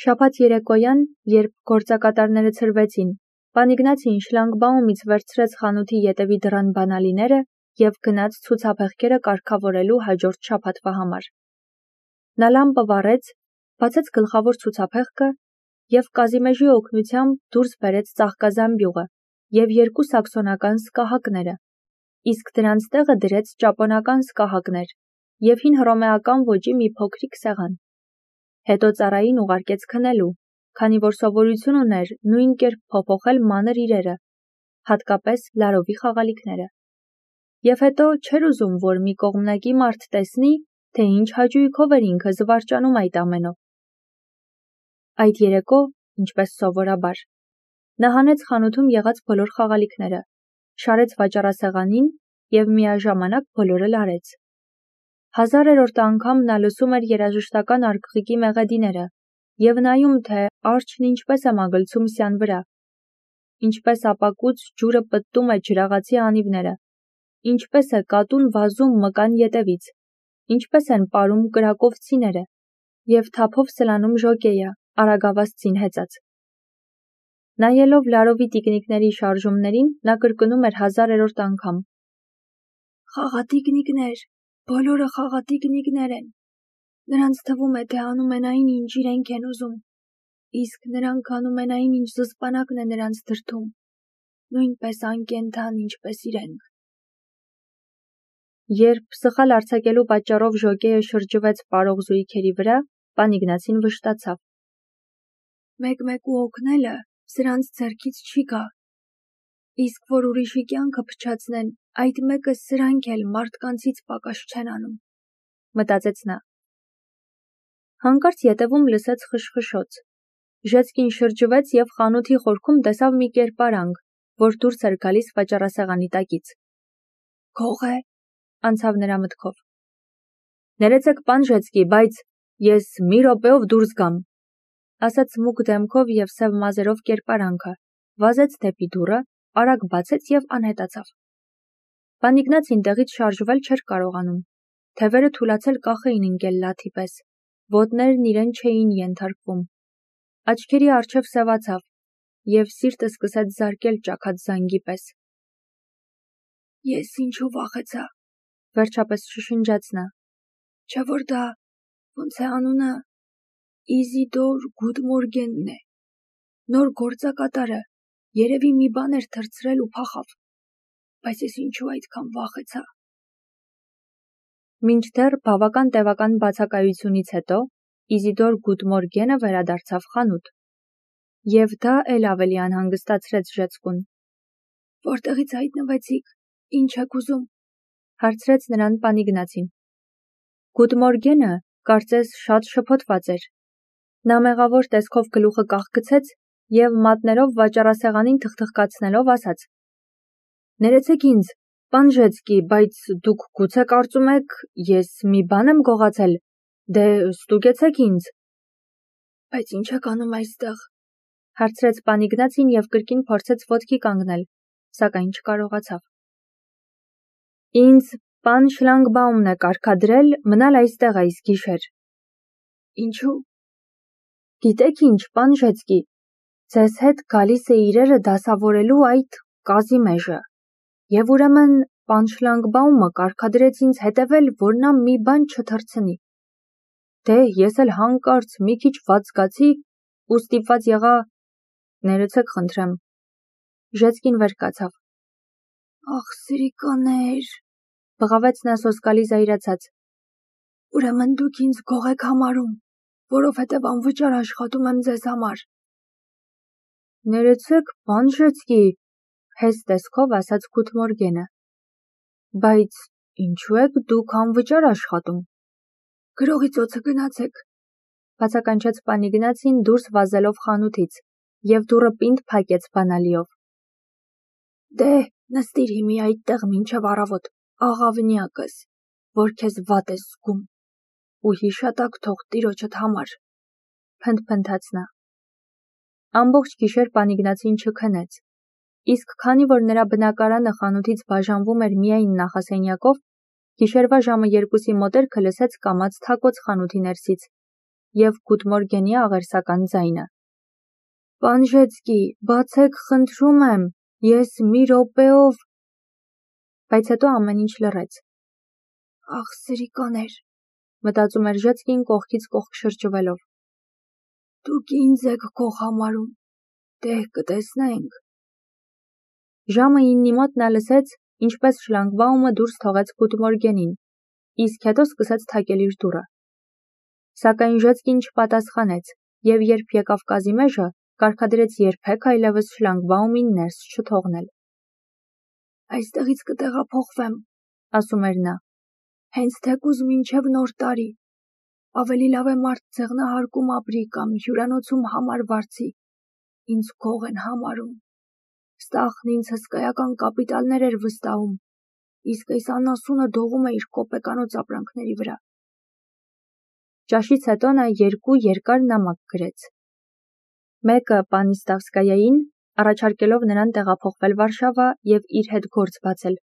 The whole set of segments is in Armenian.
Շաբաթ երեկոյան, երբ գործակատարները ցրվեցին, պան Իգնացին շլագբաումից վերցրեց խանութի ետևի դռան բանալիները և գնաց ցուցափեղկերը կարգավորելու հաջորդ շաբաթվա համար։ Նա լամպը վառեց, բացեց գլխավոր ցուցափեղկը և Կազիմեժի օգնությամբ դուրս բերեց ծաղկազամբյուղը և երկու սաքսոնական սկահակները, իսկ դրանց տեղը դրեց ճապոնական սկահակներ և հին հռոմեական ոճի մի փոքրիկ սեղան։ Հետո ծառային ուղարկեց քնելու, քանի որ սովորություն ուներ նույն կերպ փոփոխել մանր իրերը, հատկապես լարովի խաղալիքները։ Եվ հետո չէր ուզում, որ մի կողմնակի մարդ տեսնի, թե ինչ հաճույքով էր ինքը զվարճանում այդ ամենով։ Այդ երեկո, ինչպես սովորաբար, նա հանեց խանութում եղած բոլոր խաղալիքները, շարեց վաճառասեղանին և միաժամանակ բոլորը լարեց։ 1000-րդ անգամ նա լսում էր երաժշտական արկղիկի մեղեդիները և նայում, թե արջն ինչպես է մագլցում սյան վրա, ինչպես ապակուց ջուրը պտտում է ջրաղացի անիվները, ինչպես է կատուն վազում մկան ետևից, ինչպես են պարում կրակովցիները և թափով սլանում ժոկեյը, արագավազցին հեծած։ Նայելով լարովի տիկնիկների շարժումներին, նա կրկնում էր 1000-րդ անգամ. «Խաղատիկնիկներ, բոլորը խաղատիկնիկներ են։ Նրանց թվում է, թե անում են այն, ինչ իրենք են ուզում, իսկ նրանք անում են այն, ինչ զսպանակն է նրանց դրդում, նույնպես անկենդան, ինչպես իրենք»։ Երբ սխալ արձակելու պատճառով ժոկեյը շրջվեց պարող զույգերի վրա, պան Իգնացին վշտացավ։ Մեկ-մեկու օգնելը սրանց ձեռքից չի գա, իսկ որ ուրիշի կյանքը փչացնեն, այդ մեկը սրանք էլ մարդկանցից պակաս չեն անում, մտածեց նա։ Հանկարծ ետևում լսեց խշխշոց։ Ժեցկին շրջվեց և խանութի խորքում տեսավ մի կերպարանք, որ դուրս էր գալիս վաճառասեղանի տակից։ Գող է, անցավ նրա մտքով։ Ներեցեք, պան Ժեցկի, բայց ես մի րոպեով դուրս գամ, ասաց մուգ դեմքով և սև մազերով կերպարանքը, վազեց դեպի դուռը, արագ բացեց և անհետացավ։ Պան Իգնացին տեղից շարժվել չէր կարողանում, թևերը թուլացել կախ էին ընկել լաթի պես, ոտներն իրեն չէին ենթարկվում, աչքերի առջև սևացավ և սիրտը սկսեց զարկել ճաքած զանգի պես։ Ես ինչու վախեցա, վերջապես շշնջաց նա, չէ որ դա, ոնց է անունը, Իզիդոր Գուտմորգենն է, նոր գործակատարը, երևի մի բան էր թռցրել ու փախավ, բայց ես ինչու այդքան վախեցա։ Մինչդեռ բավական տևական բացակայությունից հետո Իզիդոր Գուտմորգենը վերադարձավ խանութ, և դա էլ ավելի անհանգստացրեց Ժեցկուն։ Որտեղից հայտնվեցիք, ինչ եք ուզում, հարցրեց նրան պան Իգնացին։ Գուտմորգենը, կարծես, շատ շփոթված էր։ Նա մեղավոր տեսքով գլուխը կախգցեց և մատներով վաճառասեղանին թխթխկացնելով ասաց. Ներեցեք ինձ, պան Ժեցկի, բայց դուք գուցե կարծում եք, ես մի բան եմ գողացել, դե ստուգեցեք ինձ։ Բայց ինչ եք անում այստեղ, հարցրեց պան Իգնացին և կրկին փորձեց ոտքի կանգնել, սակայն չկարողացավ։ Ինձ պան Շլանգբաումն է կարգադրել մնալ այստեղ այս գիշեր։ Ինչու։ Գիտեք ինչ, պան Ժեցկի, ձեզ հետ գալիս է իրերը դասավորելու այդ Կազիմեժը, և ուրեմն պան Շլանգբաումը կարգադրեց ինձ հետևել, որ նա մի բան չթռցնի։ Դե ես էլ հանկարծ մի քիչ վատ զգացի ու ստիպված եղա, ներեցեք խնդրեմ։ Ժեցկին վեր կացավ։ Ախ, սիրիկաներ, բղավեց նա սոսկալի զայրացած։ Ուրեմն դուք ինձ գող եք համարում, որովհետև անվճար աշխատում եմ ձեզ համար։ Ներեցեք, պան Ժեցկի, հեզ տեսքով ասաց Գուտմորգենը։ Բայց ինչու եք դուք անվճար աշխատում։ Գրողի ծոցը գնացեք, բացականչեց պան Իգնացին դուրս վազելով խանութից և դուռը պինդ փակեց բանալիով։ Դե, նստիր հիմի այդտեղ մինչև առավոտ, աղավնյակս, որ քեզ վատ ես զգում, ու հիշատակ թող տիրոջդ համար, փնթփնթաց նա։ Ամբողջ գիշեր պան Իգնացին չքնեց, իսկ քանի որ նրա բնակարանը խանութից բաժանվում էր միայն նախասենյակով, գիշերվա ժամը 2-ի մոտերքը լսեց կամաց թակոց խանութի ներսից և Գուտմորգենի աղերսական ձայնը։ Պանժեցկի, բացեք խնդրում եմ, ես մի րոպեով… Բայց հետո ամեն ինչ լռեց։ Ախ, սրիկաներ, մտածում էր Ժեցկին կողքից կողք շրջվելով։ Դուք ինձ եք քող համարում, դե կտեսնենք։ Ժամը 9-ի մոտ նա լսեց, ինչպես շլագբաումը դուրս թողեց Գուտմորգենին, իսկ հետո սկսեց թակել իր դուռը։ Սակայն Ժեցկին չպատասխանեց, և երբ եկավ Կազիմեժը, կարգադրեց երբեք այլևս շլագբաումին ներս չթողնել։ Այստեղից կտեղափոխվեմ, ասում էր նա, հենց թեկուզ մինչև Նոր տարի։ Ավելի լավ է մարդ ձեղնահարկում ապրի կամ հյուրանոցում համար վարձի։ Ինձ քող են համարում։ Ստախն ինձ հսկայական կապիտալներ էր վստահում, իսկ այս անասունը դողում է իր կոպեկանոց ապրանքների վրա։ Ճաշից հետո նա 2 երկար նամակ գրեց։ Մեկը Պանիստավսկայային, առաջարկելով նրան տեղափոխվել Վարշավա և իր հետ գործ բացել,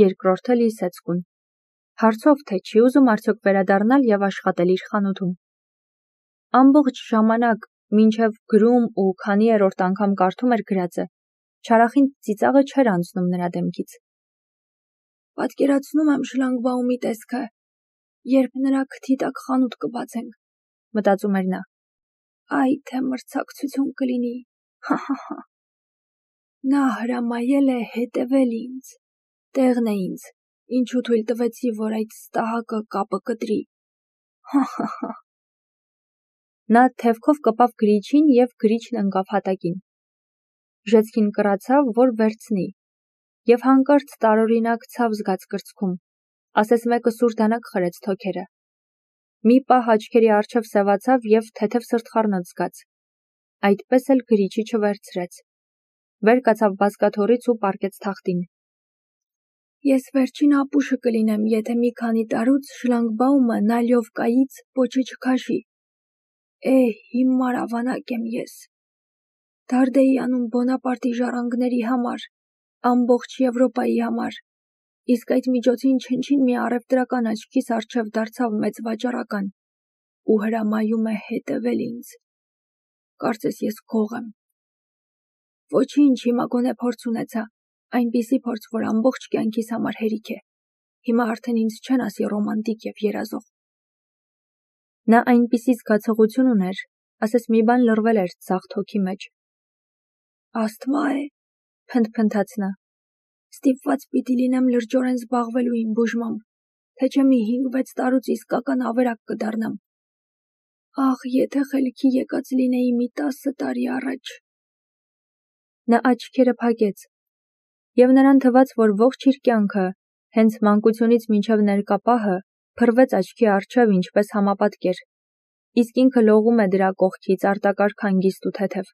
երկրորդը Լիսեցկուն, հարցով թե չի ուզում արդյոք վերադառնալ և աշխատել իր խանութում։ Ամբողջ ժամանակ, մինչև գրում ու քանի-երորդ անգամ կարդում էր գրածը, չարախին ծիծաղը չէր անցնում նրա դեմքից։ Պատկերացնում եմ շլագբաումի տեսքը, երբ նրա քթի տակ խանութ կբացենք, մտածում էր նա։ Այ թե մրցակցություն կլինի, հա։ Նա հրամայել է հետևել ինձ, տեղն է ինձ, ինչու թույլ տվեցի, որ այդ ստահակը կապը կտրի, հա։ Նա թևքով կպավ գրիչին և գրիչն ընկավ հատակին։ Ժեցկին կռացավ, որ վերցնի, և հանկարծ տարօրինակ ցավ զգաց կրծքում, ասես մեկը սուր դանակ խրեց թոքերը։ Մի պահ աչքերի առջև սևացավ և թեթև սրտխառնոց զգաց։ Այդպես էլ գրիչի չվերցրեց։ Վեր կացավ բազկաթոռից ու պառկեց թախտին։ Ես վերջին ապուշը կլինեմ, եթե մի քանի տարուց շլագբաումը Նալյովկայից պոչը չքաշի։ Հիմար ավանակ եմ ես։ Դարդ էի անում Բոնապարտի ժառանգների համար, ամբողջ Եվրոպայի համար, իսկ այդ միջոցին չնչին մի առևտրական աչքիս առջև դարձավ մեծ վաճառական ու հրամայում է հետևել ինձ։ Կարծես ես քող եմ։ Ոչինչ, հիմա գոնե փորձ ունեցա, այնպիսի փորձ, որ ամբողջ կյանքիս համար հերիք է։ Հիմա արդեն ինձ չեն ասի ռոմանտիկ և երազող։ Նա այնպիսի զգացողություն ուներ, ասես մի բան լռվել էր ձախ թոքի մեջ։ Ասթմա է, փնթփնթաց նա։ Ստիպված պիտի լինեմ լրջորեն զբաղվելու իմ բուժմամբ, թե չէ մի 5-6 տարուց իսկական ավերակ կդառնամ։ Ախ, եթե խելքի եկած լինեի մի 10 տարի առաջ։ Նա աչքերը փակեց, և նրան թվաց, որ ողջ իր կյանքը, հենց մանկությունից մինչև ներկա պահը, փռվեց աչքի առջև ինչպես համապատկեր, իսկ ինքը լողում է դրա կողքից արտակարգ հանգիստ ու թեթև։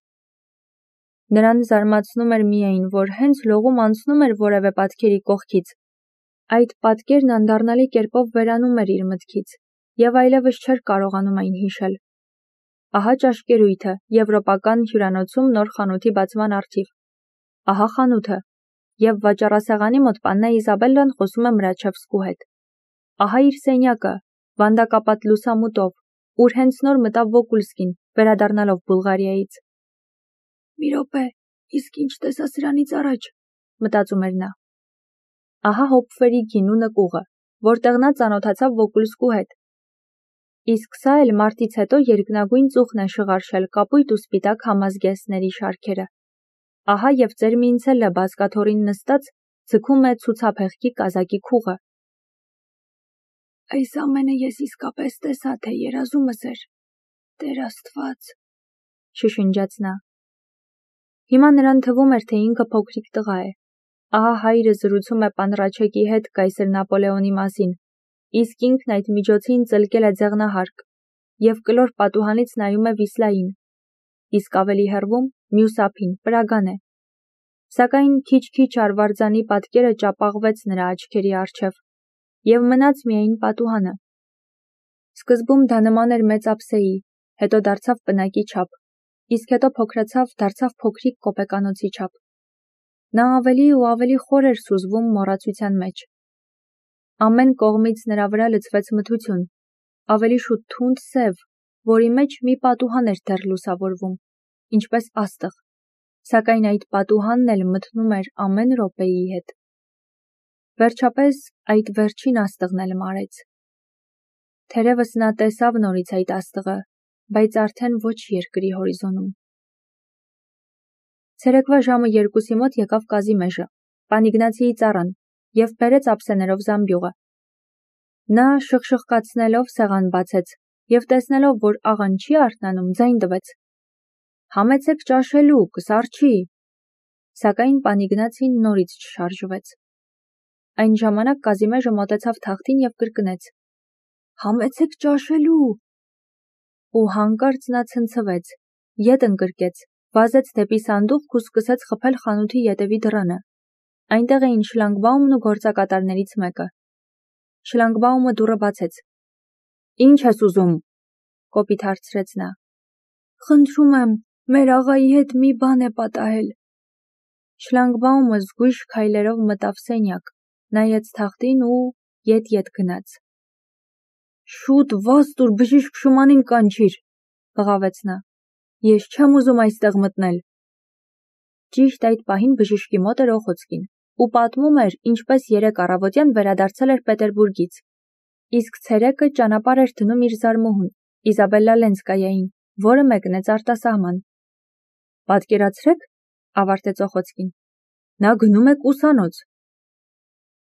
Նրան զարմացնում էր միայն, որ հենց լողում անցնում էր որևէ պատկերի կողքից, այդ պատկերն անդառնալի կերպով վերանում էր իր մտքից, և այլևս չէր կարողանում այն հիշել։ Ահա ճաշկերույթը եվրոպական հյուրանոցում նոր խանութի բացման առթիվ։ Ահա խանութը, և վաճառասեղանի մոտ Պաննա Իզաբելլան խոսում է Մրաչևսկու հետ։ Ահա իր սենյակը, վանդակապատ լուսամուտով, ուր հենց նոր մտավ Վոկուլսկին, վերադառնալով Բուլղարիայից։ Մի րոպե, իսկ ինչ տեսա սրանից առաջ, մտածում էր նա։ Ահա Հոփֆերի գինու նկուղը, որտեղ նա ծանոթացավ Վոկուլսկու հետ։ Իսկ սա էլ մարտից հետո երկնագույն ծուխն է շղարշել կապույտ ու սպիտակ համազգեստների շարքերը։ Ահա և ծեր Մինցելը բազկաթոռին նստած ձգում է ցուցափեղկի կազակի քուղը։ Այս ամենը ես իսկապես տեսա, թե երազումս էր։ Տեր Աստված, շշնջաց նա։ Հիմա նրան թվում էր, թե ինքը փոքրիկ տղա է։ Ահա հայրը զրուցում է պան Ռաչեկի հետ կայսր Նապոլեոնի մասին, իսկ ինքն այդ միջոցին ծլկել է ձեղնահարկ և կլոր պատուհանից նայում է Վիսլային, իսկ ավելի հեռվում մյուս ափին Պրագան է։ Սակայն քիչ-քիչ արվարձանի պատկերը ճապաղվեց նրա աչքերի առջև, և մնաց միայն պատուհանը։ Սկզբում դա նման էր մեծ ափսեի, հետո դարձավ պնակի չափ, իսկ հետո փոքրացավ, դարձավ փոքրիկ կոպեկանոցի չափ։ Նա ավելի ու ավելի խոր էր սուզվում մոռացության մեջ։ Ամեն կողմից նրա վրա լցվեց մթություն, ավելի շուտ թունդ սև, որի մեջ մի պատուհան էր դեռ լուսավորվում, ինչպես աստղ, սակայն այդ պատուհանն էլ մթնում էր ամեն րոպեի հետ։ Վերջապես այդ վերջին աստղն էլ մարեց։ Թերևս նա տեսավ նորից այդ աստղը, բայց արդեն ոչ երկրի հորիզոնում։ Ցերեկվա ժամը 2-ի մոտ եկավ Կազիմեժը, պան Իգնացիի ծառան, և բերեց ափսեներով զամբյուղը։ Նա շխշխկացնելով սեղան բացեց և տեսնելով, որ աղան չի արթնանում, ձայն տվեց. «Համեցեք ճաշելու, կսառչի»։ Սակայն պան Իգնացին նորից չշարժվեց։ Այն ժամանակ Կազիմեժը մոտեցավ թախտին և կրկնեց. «Համեցեք ճաշելու»։ Ու հանկարծ նա ցնցվեց, ետ ընկրկեց, վազեց դեպի սանդուղք ու սկսեց խփել խանութի ետևի դռանը։ Այնտեղ էին շլագբաումն ու գործակատարներից մեկը։ Շլագբաումը դուռը բացեց։ «Ինչ ես ուզում», կոպիտ հարցրեց նա։ «Խնդրում եմ, մեր աղայի հետ մի բան է պատահել»։ Շլագբաումը զգույշ քայլերով մտավ սենյակ, նայեց թախտին ու ետ գնաց։ «Շուտ վազ տուր, բժիշկ Շումանին կանչիր», բղավեց նա։ «Ես չեմ ուզում այստեղ մտնել»։ Ճիշտ այդ պահին բժիշկի մոտ էր Օխոցկին ու պատմում էր, ինչպես երեկ առավոտյան վերադարձել էր Պետերբուրգից, իսկ ցերեկը ճանապարհ էր դնում իր զարմուհուն, Իզաբելլա Լենսկայային, որը մեկնեց արտասահման։ «Պատկերացրեք», ավարտեց Օխոցկին, «նա գնում է ուսանոց»։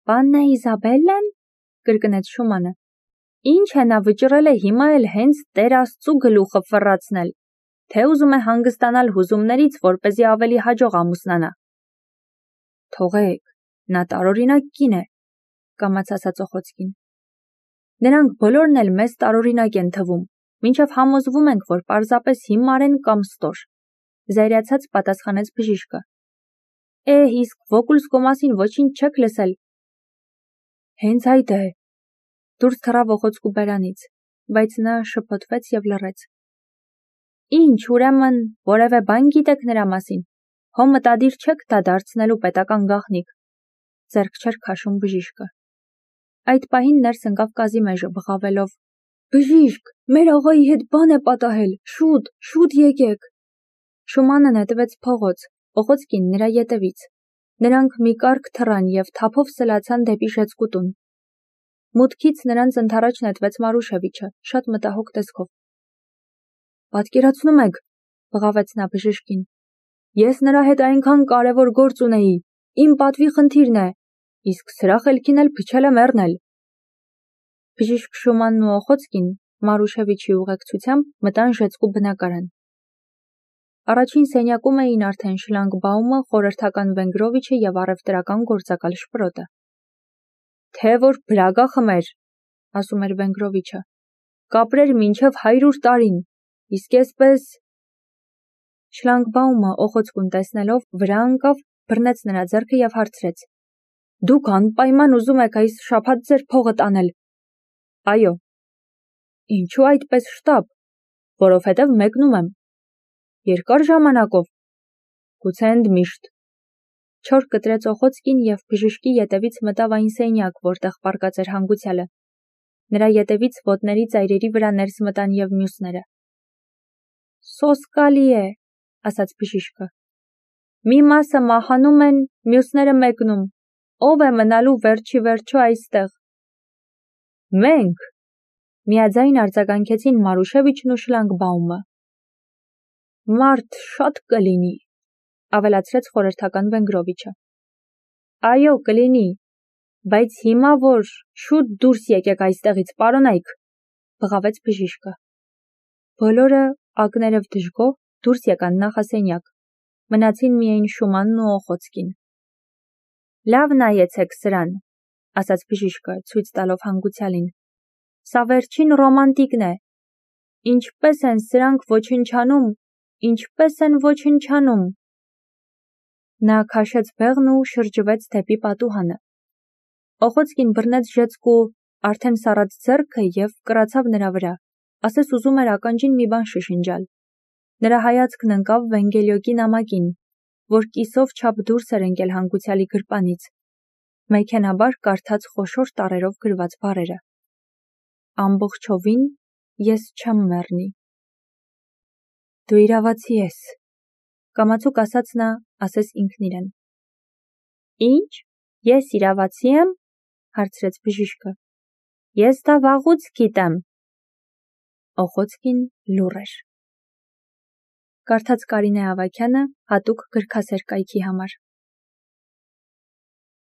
«Պաննա Իզաբելլան», կրկնեց Շումանը։ «Ինչ է նա վճռել է հիմա էլ հենց Տեր Աստծու գլուխը ֆռացնել, թե ուզում է հանգստանալ հուզումներից, որպեսզի ավելի հաջող ամուսնանա»։ «Թողեք, նա տարօրինակ կին է», կամաց ասաց Օխոցկին։ «Նրանք բոլորն էլ մեզ տարօրինակ են թվում, մինչև համոզվում ենք, որ պարզապես հիմար են կամ ստոր», զայրացած պատասխանեց բժիշկը։ Իսկ Վոկուլսկո մասին ոչինչ չեք լսել։ Հենց այդ է։ Դուրս թռավ Օխոցկու բերանից, բայց նա շփոթվեց և լռեց։ Ինչ, ուրեմն, որևէ բան գիտեք նրա մասին։ Հո մտադիր չեք դա դարձնելու պետական գաղտնիք։ Ձեռք չէր քաշում բժիշկը։ Այդ պահին ներս ընկավ Կազիմեժը, բղավելով. Բժիշկ, մեր աղայի հետ բան է պատահել, շուտ եկեք։ Շումանը նետվեց փողոց, Օխոցկին նրա ետևից։ Նրանք մի կառք թռան և թափով սլացան դեպի Ժեցկուտուն։ Մուտքից նրանց ընդառաջ նետվեց Մարուշևիչը, շատ մտահոգ տեսքով։ Պատկերացնում եք, բղավեց նա բժշկին։ Ես նրա հետ այնքան կարևոր գործ ունեի, իմ պատվի խնդիրն է, իսկ սրա խելքին էլ փչել եմ մեռնել։ Բժիշկ Շումանն ու Օխոցկին Մարուշևիչի ուղեկցությամբ մտան Ժեցկու բնակարան։ Առաջին սենյակում էին արդեն Շլանգբաումը, խորհրդական Վենգրովիչը և առևտրական գործակալ Շպրոտը։ Թե որ բրագա խմեր, ասում էր Վենգրովիչը, կապրեր մինչև 100 տարին, իսկ այսպես… Շլանգբաումը Օխոցկուն տեսնելով վրա ընկավ, բռնեց նրա ձեռքը և հարցրեց. Դուք անպայման ուզում եք այս շաբաթ ձեր փողը տանել։ Այո։ Ինչու այդպես շտապ, որովհետև մեկնում եմ։ Երկար ժամանակով։ Գուցե ընդմիշտ։ Չոր կտրեց Օխոցկին և բժշկի ետևից մտավ այն սենյակ, որտեղ պառկած էր հանգուցյալը։ Նրա ետևից ոտների ծայրերի վրա ներս մտան և մյուսները։ Սոսկալի է, ասաց բժիշկը։ Մի մասը մահանում են, մյուսները մեկնում։ Ով է մնալու վերջի վերջո այստեղ։ Մենք, միաձայն արձագանքեցին Մարուշևիչն ու Շլանգբաումը։ Մարդ շատ կլինի, ավելացրեց խորհրդական Վենգրովիչը։ Այո, կլինի, բայց հիմա որ շուտ դուրս եկեք այստեղից, պարոնայք, բղավեց բժիշկը։ Բոլորը ակներև դժգոհ դուրս եկան նախասենյակ։ Մնացին միայն Շումանն ու Օխոցկին։ Լավ նայեցեք սրան, ասաց բժիշկը, ցույց տալով հանգուցյալին։ Սա վերջին ռոմանտիկն է։ Ինչպես են սրանք ոչնչանում, ինչպես են ոչնչանում։ Նա քաշեց բեղն ու շրջվեց դեպի պատուհանը։ Օխոցկին բռնեց Ժեցկու արդեն սառած ձեռքը և կռացավ նրա վրա, ասես ուզում էր ականջին մի բան շշնջալ։ Նրա հայացքն ընկավ Վենգելյոկի նամակին, որ կիսով չափ դուրս էր ընկել հանգուցյալի գրպանից, մեքենաբար կարդաց խոշոր տառերով գրված բառերը. Ամբողջովին ես չեմ մեռնի։ Դու իրավացի ես, կամացուկ ասաց նա, ասես ինքն իրեն։ Ինչ, ես իրավացի եմ, հարցրեց բժիշկը։ Ես դա վաղուց գիտեմ։ Օխոցկին լուռ էր։ Կարդաց Կարինե Ավագյանը հատուկ գրքասեր կայքի համար։